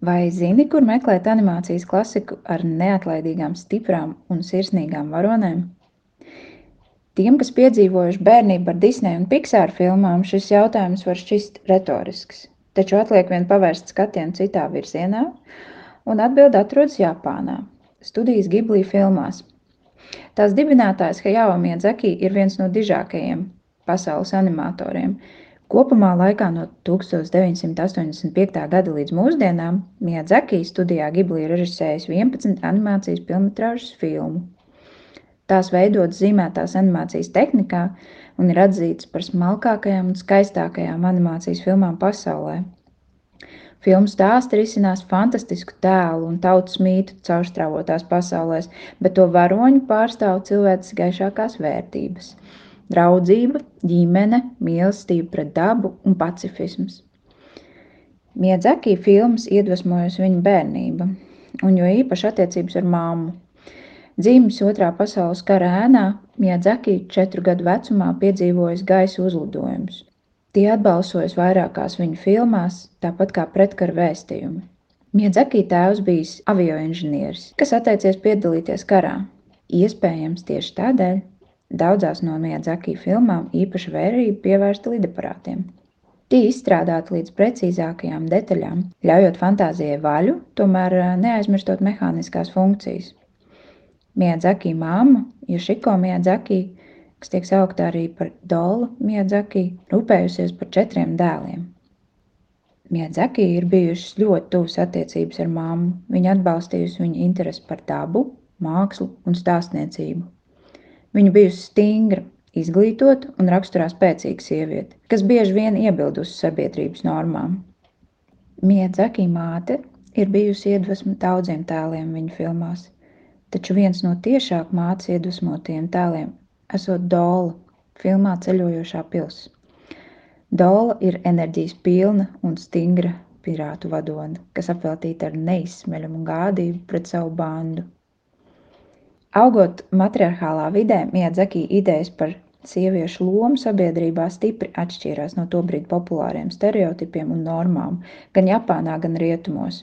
Vai zini, kur meklēt animācijas klasiku ar neatlaidīgām, stiprām un sirsnīgām varonēm? Tiem, kas piedzīvojuši bērnību ar Disneja un Pixar filmām, šis jautājums var šķist retorisks, taču atliek vien pavērst skatienu citā virzienā, un atbilde atrodas Japānā, studijas Ghibli filmās. Tās dibinātājs Hayao Miyazaki ir viens no dižākajiem pasaules animatoriem. Kopumā laikā no 1985. gada līdz mūsdienām Miyazaki studijā Ghibli režisējis 11 animācijas pilnmetrāžas filmu. Tās veidotas zīmētās animācijas tehnikā un ir atzītas par smalkākajām un skaistākajām animācijas filmām pasaulē. Filmu stāsti risinās fantastisku tēlu un tautas mītu caurstrāvotās pasaulēs, bet to varoņu pārstāv cilvēces gaišākās vērtības – draudzība, ģimene, mīlestība pret dabu un pacifisms. Miyazaki filmas iedvesmojusi viņa bērnība, un jo īpaši attiecības ar mammu. Dzīves Otrā pasaules kara ēnā Miyazaki 4 gadu vecumā piedzīvojis gaisa uzlidojumus. Tie atbalsojas vairākās viņa filmās, tāpat kā pretkara vēstījumi. Miyazaki tēvs bijis avioinženieris, kas atteicies piedalīties karā. Iespējams tieši tādēļ daudzās no Miyazaki filmām īpaša vērība pievērsta lidaparātiem. Tie izstrādāti līdz precīzākajām detaļām, ļaujot fantāzijai vaļu, tomēr neaizmirstot mehāniskās funkcijas. Miyazaki mamma, Yoshiko Miyazaki, kas tiek saukta arī par Dolu Miyazaki, rūpējusies par 4 dēliem. Miyazaki ir bijušas ļoti tuvas attiecības ar mammu. Viņa atbalstījusi viņa interesi par dabu, mākslu un stāstniecību. Viņa bijusi stingra, izglītota un raksturā spēcīga sieviete, kas bieži vien iebildusi sabiedrības normām. Miyazaki māte ir bijusi iedvesma daudziem tēliem viņa filmās, taču viens no tiešāk mātes iedvesmotajiem tēliem esot Dola filmā Ceļojošā pils. Dola ir enerģijas pilna un stingra pirātu vadone, kas apveltīta ar neizsmeļamu gādību pret savu bandu. Augot matriarchālā vidē, Miyazaki idejas par sieviešu lomu sabiedrībā stipri atšķīrās no tobrīd populāriem stereotipiem un normām, gan Japānā, gan rietumos.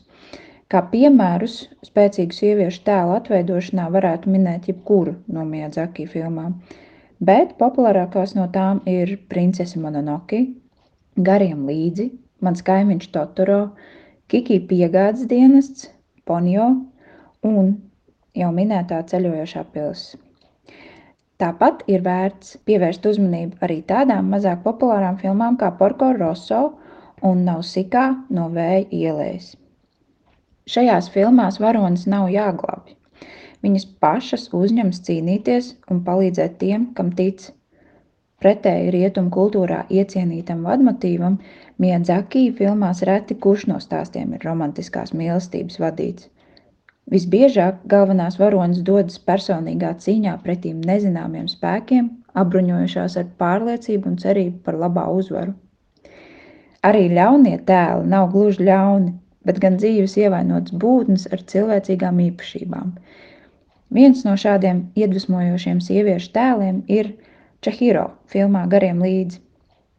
Kā piemērus spēcīgu sieviešu tēlu atveidošanā varētu minēt jebkuru no Miyazaki filmām, bet populārākās no tām ir Princese Mononoke, Gariem līdzi, Mans kaimiņš Totoro, Kiki piegādes dienests, Ponyo un jau minētā Ceļojošā pils. Tāpat ir vērts pievērst uzmanību arī tādām mazāk populārām filmām kā Porco Rosso un Nausikā no Vēja ielejas. Šajās filmās varonis nav jāglābj. Viņas pašas uzņemas cīnīties un palīdzēt tiem, kam tic. Pretēji rietumu kultūrā iecienītam vadmotīvam, Miyazaki filmās reti kurš no stāstiem ir romantiskās mīlestības vadīts. Visbiežāk galvenās varonas dodas personīgā cīņā pretīm nezināmiem spēkiem, apbruņojušās ar pārliecību un cerību par labā uzvaru. Arī ļaunie tēli nav gluži ļauni, bet gan dzīves ievainotas būtnes ar cilvēcīgām īpašībām. Viens no šādiem iedvesmojošiem sieviešu tēliem ir Chihiro filmā Gariem līdzi.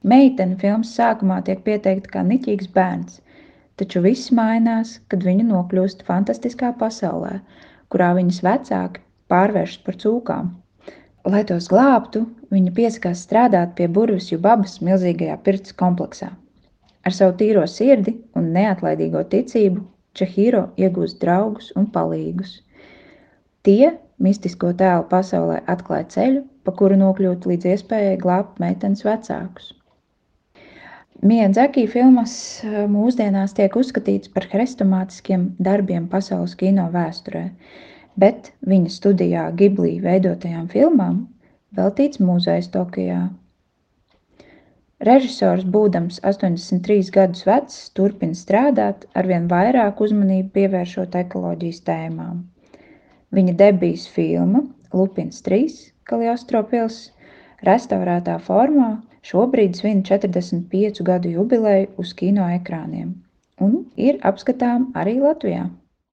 Meitene filmas sākumā tiek pieteikta kā niķīgs bērns, taču viss mainās, kad viņa nokļūst fantastiskā pasaulē, kurā viņas vecāki pārvēršas par cūkām. Lai tos glābtu, viņa piesakās strādāt pie burvju babas milzīgajā pirts kompleksā. Ar savu tīro sirdi un neatlaidīgo ticību Chihiro iegūst draugus un palīgus. Tie mistisko tēlu pasaulē atklāja ceļu, pa kuru nokļūt līdz iespējai glābt meitenes vecākus. Miyazaki filmas mūsdienās tiek uzskatīts par hrestomātiskiem darbiem pasaules kino vēsturē, bet viņa studijā Ghibli veidotajām filmām veltīts muzejs Tokijā. Režisors, būdams 83 gadus vecs, turpina strādāt, arvien vairāk uzmanību pievēršot ekoloģijas tēmām. Viņa debijas filma Lupins 3, Kaliostro pils, restaurētā formā šobrīd svin 45 gadu jubileju uz kino ekrāniem un ir apskatām arī Latvijā.